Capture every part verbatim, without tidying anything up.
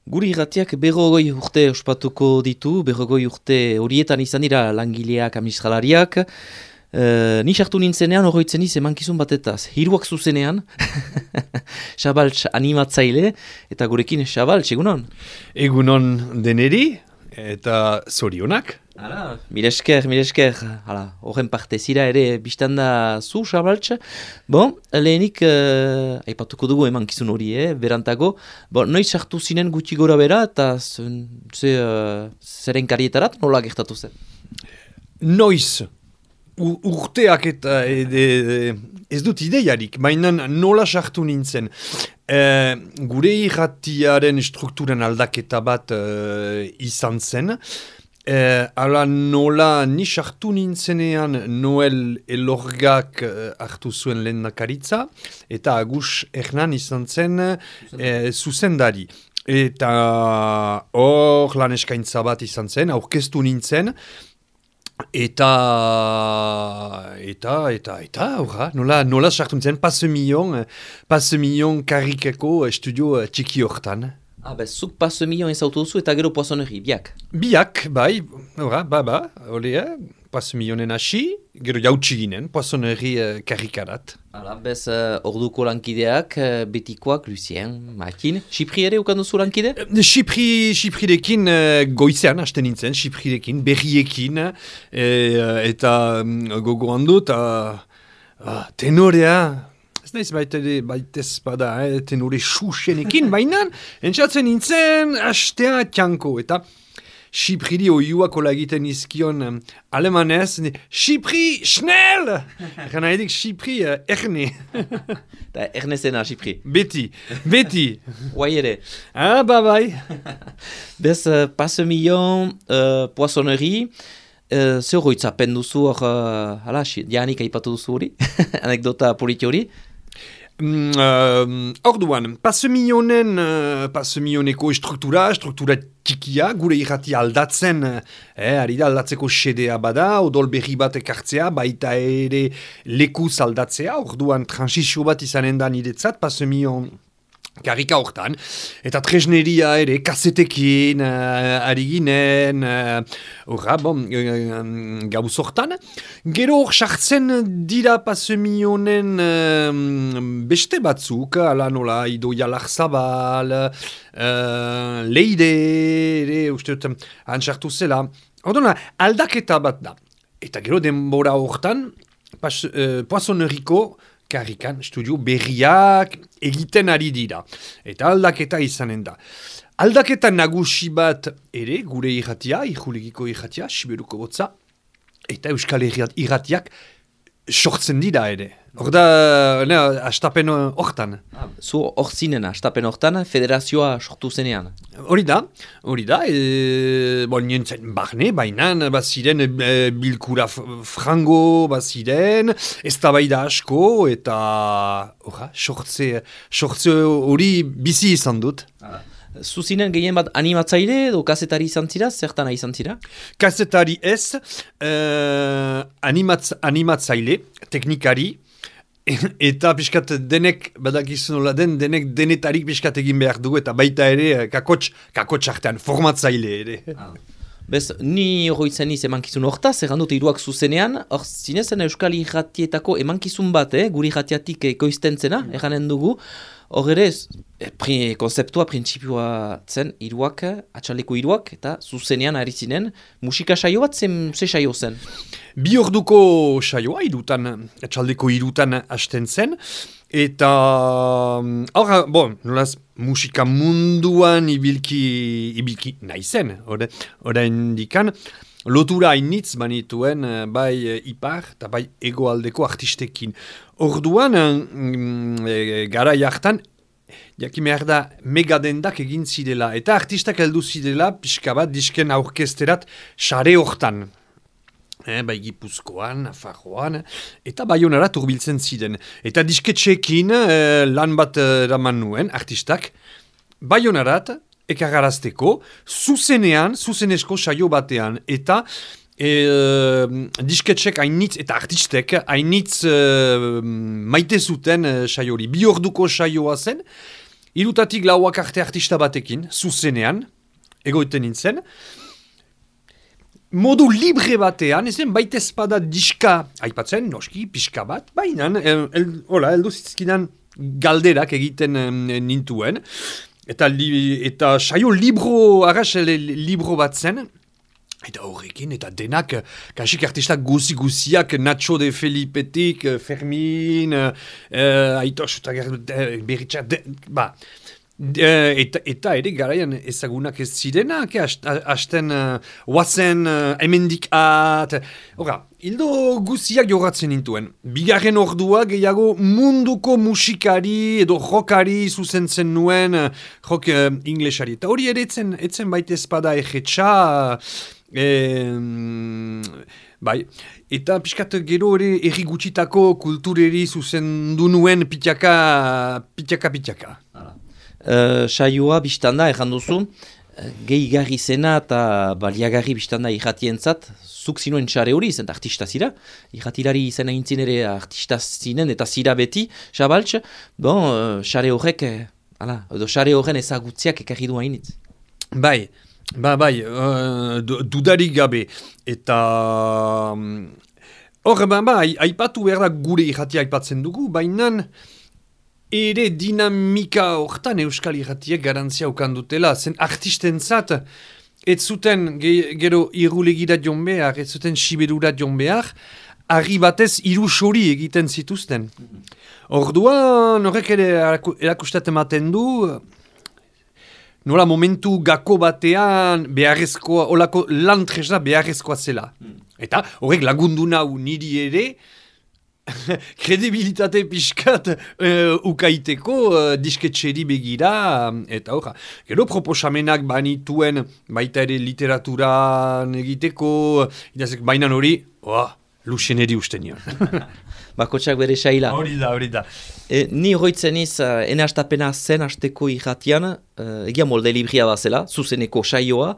Guri irratiak berrogoi urte ospatuko ditu, berrogoi urte horietan izan dira langileak, administralariak. E, ni sartu nintzenean horretzen iz emankizun batetaz. Hiruak zuzenean, Xabaltz animatzaile, eta gurekin Xabaltz, egunon? Egunon deneri, eta zorionak. Hala, miresker, miresker, hala, horren parte zira ere biztanda zu, Xabaltz. Bon, lehenik, uh, aipatuko dugu emankizun hori, eh, berantago. Bon, noiz sartu zinen gutxi gora bera, eta ze, uh, zeren karietarat nola gertatu zen? Noiz, U urteak eta e, e, ez dut ideiarik, baina nola sartu nintzen. E, gure irratiaren strukturan aldaketa bat e, izan zen. E, ala nola ni sartu nintzenean Noel Elorgak e, hartu zuen lehendakaritza, eta Agus Hernan izan zen e, zuzendari. Eta hor lan eskaintza bat izan zen, aurkeztu nintzen, Eta, eta, eta, eta, horra, nola, nola sartu nintzen, passe milion, passe milion karikeko estudio txiki hortan. Ah, bez, zuk passe milion ezautu duzu eta gero poisonnerie, biak? Biak, bai, horra, ba, ba, ole, eh, passe milionen hasi, gero jautsi ginen, poisonnerie uh, karikarat. Hala, bez, uh, orduko lankideak, uh, betikoak, Lucien, Makin, Xipri ere ukan duzu lankide? Xipri, Xiprirekin uh, goizean hasten nintzen, Xiprirekin, berriekin, eh, eta um, gogoan dut, uh, uh, tenorea, ez naiz baitez, baitez bada, eh, tenore xuxenekin, baina, entzatzen nintzen, hastea txanko, eta Xipriri oiuak ola egiten izkion um, alemanez, Xipri, schnell! Gana edik Xipri, uh, erne. Da erne zena, Xipri. Beti, beti. Guai ere. Ah, ba bai. Bez, uh, passe milion, uh, poissonnerie, uh, zer hoitzapen duzu hor, uh, hala, Janik aipatu duzu hori, anekdota politi hori. Mm, uh, orduan, passe milionen, uh, passe milioneko struktura, struktura txikia, gure irrati aldatzen, eh, ari da aldatzeko xedea bada, odol berri bat ekartzea, baita ere lekuz aldatzea, orduan transizio bat izanen da niretzat, passe milion karika hortan, eta tresneria ere, kasetekin, uh, ari ginen, horra, uh, bon, uh, gauz hortan. Gero hor sartzen dira passe milionen uh, beste batzuk, ala nola, Idoia Larzabal, uh, Leide, ere, uste dut, antxartu zela. Ordona, aldaketa bat da. Eta gero denbora hortan, pas, uh, poissonneriko, karikan, studio berriak egiten ari dira. Eta aldaketa izanen da. Aldaketa nagusi bat ere, gure irratia, ijulegiko irratia, Siberuko botza, eta Euskal Herriat irratiak sortzen dira ere. Hor da, ne, astapen hortan. Ah, zu hor zinen, astapen hortan, federazioa sortu zenean. Hori da, hori da, e, bon, nintzen barne, baina baziren e, bilkura frango baziren, ez da bai da asko, eta horra, sortze, sortze hori bizi izan dut. Ah. Zuzinen gehien bat animatzaile edo kazetari izan zira, zertan izan zira? Kazetari ez, uh, animatz, animatzaile, teknikari, eta pixkat denek, badakizun nola den, denek denetarik pixkat egin behar dugu, eta baita ere kakots, kakots artean, formatzaile ere. Ah. Bez, ni horretzen iz emankizun hortaz, erran dut iruak zuzenean, hor zinezen Euskal Irratietako emankizun bat, eh, guri irratiatik ekoizten zena, erranen dugu, hor ere, pri, konzeptua, printzipioa zen, iruak, atxaleko iruak, eta zuzenean ari zinen, musika saio bat, zen, ze saio zen? Bi orduko saioa, irutan, atxaldeko irutan hasten zen, eta, hor, bon, nolaz, musika munduan ibilki, ibilki nahi zen, orain dikan, lotura hainitz banituen bai ipar eta bai egoaldeko artistekin. Orduan, mm, gara jartan, jakimehar da megadendak egin zidela, eta artistak heldu zidela, pixka bat disken aurkesterat sare hortan. Eh, bai Gipuzkoan, Nafarroan, eta Baionarat hurbiltzen ziren. Eta disketxeekin eh, lan bat eraman nuen, artistak, Baionarat ekargarazteko, zuzenean, zuzenesko saio batean, eta e, disketxek hainitz, eta artistek hainitz e, maite zuten e, saiori. Bi orduko saioa zen, irutatik lauak arte artista batekin, zuzenean, egoiten nintzen, modu libre batean, ezen baita espada diska, aipatzen, noski, pixka bat, baina, el, el, hola, eldu zizkidan galderak egiten em, nintuen, eta, li, eta saio libro, arras libro bat zen, eta horrekin, eta denak, kasik artistak guzi-guziak, Nacho de Felipetik, Fermin, uh, Aitos, uh, Beritxa, ba, Uh, eta, eta ere garaian ezagunak ez zirenak, hasten uh, oazen uh, emendik at, horra, hildo guziak jogatzen nintuen. Bigarren ordua gehiago munduko musikari edo rockari zuzentzen nuen, uh, rock uh, inglesari. Eta hori ere etzen, etzen baita espada egetxa, uh, bai, eta pixkat gero ere erri gutxitako kultureri zuzendu nuen pitaka, pitaka, pitaka. Uh, saioa biztanda, erran duzu, uh, gehigarri zena eta baliagarri biztanda irratientzat, zuk zinuen xare hori, zen artista zira, irratilari izan aintzin ere artista zinen eta zira beti, Xabaltx, bon, xare uh, horrek, ala, edo xare horren ezagutziak ekarri du hainitz. Bai, ba, bai, uh, dudarik gabe, eta... Hor, ba, ba, aipatu behar da gure irratia aipatzen dugu, baina... Ere dinamika hortan Euskal Irratiek garantzia ukandutela, zen artistentzat, ez zuten ge, gero irulegira joan behar, ez zuten siberura joan behar, argi batez irusori egiten zituzten. Orduan, horrek ere erakustat ematen du, nola momentu gako batean beharrezkoa, olako lan tresna beharrezkoa zela. Eta horrek lagundu nau niri ere, kredibilitate pixkat uh, ukaiteko uh, disketxeri begira, eta horra. Gero proposamenak banituen baita ere literaturan egiteko, idazek bainan hori, oh, luxeneri usten nion. Bakotxak bere saila. Hori da, hori da. E, ni hoitzen iz, uh, ene hastapena zen hasteko irratian, uh, egia molde libria bazela, zuzeneko saioa,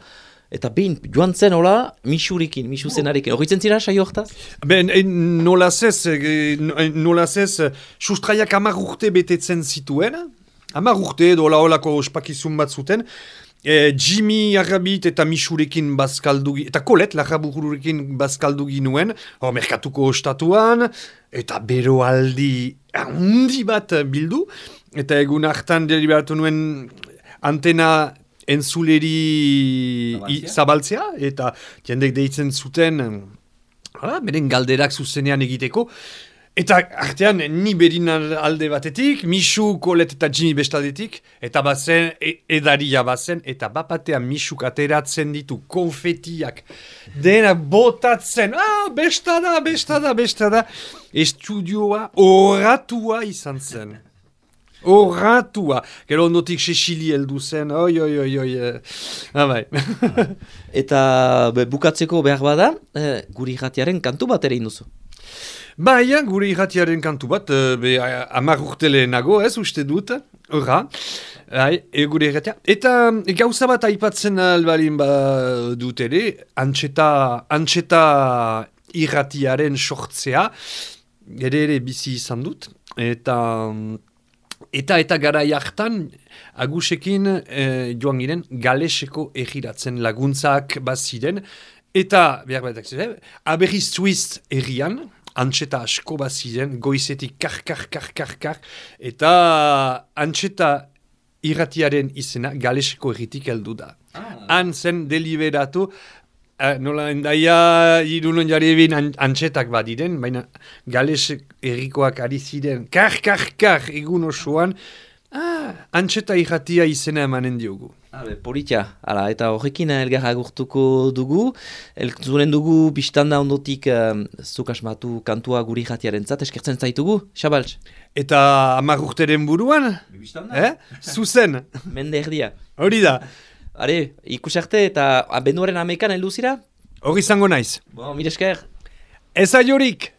eta behin joan zen hola, misurekin, misu zenarekin. Horritzen zira saio hortaz? Ben, e, nolaz ez, e, nolaz ez, sustraiak hamar urte betetzen zituen, hamar urte edo hola holako ospakizun bat zuten, e, Jimmy Arrabit eta misurekin bazkaldugi, eta Kolet Larrabururekin bazkaldugi nuen, hor merkatuko ostatuan, eta bero aldi handi bat bildu, eta egun hartan deliberatu nuen antena entzuleri zabaltzea? zabaltzea, eta jendek deitzen zuten, hala, beren galderak zuzenean egiteko, eta artean ni berin alde batetik, Misu, Kolet eta Jimmy bestaldetik, eta bazen, e, edaria bazen, eta bapatean Misuk ateratzen ditu konfetiak, dena botatzen, ah, bestada, bestada, bestada, estudioa oratua izan zen. Horratua. Gero ondotik Sesili heldu zen. Oi, oi, oi, oi. Ah, bai. Eta be, bukatzeko behar bada, eh, guri irratiaren kantu bat ere induzu. Bai, guri irratiaren kantu bat, be, amar urtele nago, ez uste dut. Horra. Hai, e, guri irratia. Eta gauza bat aipatzen albalin ba dut ere, antxeta, antxeta irratiaren sortzea, ere ere bizi izan dut. Eta... Eta eta garai hartan, agusekin eh, joan giren galeseko egiratzen laguntzak baziren. Eta, behar batak ziren, Aberriz Suiz errian, antxeta asko baziren, goizetik kar, kar, kar, kar, kar. Eta antxeta irratiaren izena galeseko erritik heldu da. Ah. Han zen deliberatu, Uh, nola endaia irunon jari ebin antxetak badiren, baina gales errikoak ari ziren, kar, kar, kar, egun osoan, ah, antxeta irratia izena emanen diogu. Habe, politia, ala, eta horrekin elgarra agurtuko dugu, elzuren dugu biztanda ondotik um, zuk asmatu kantua guri irratiaren zat, eskertzen zaitugu, Xabaltx? Eta hamar urteren buruan? Eh? Zuzen? Mende erdia. Hori da. Are, ikusarte eta abenduaren amekan heldu zira? Hori izango naiz. Bo, mire esker. Ez aiorik!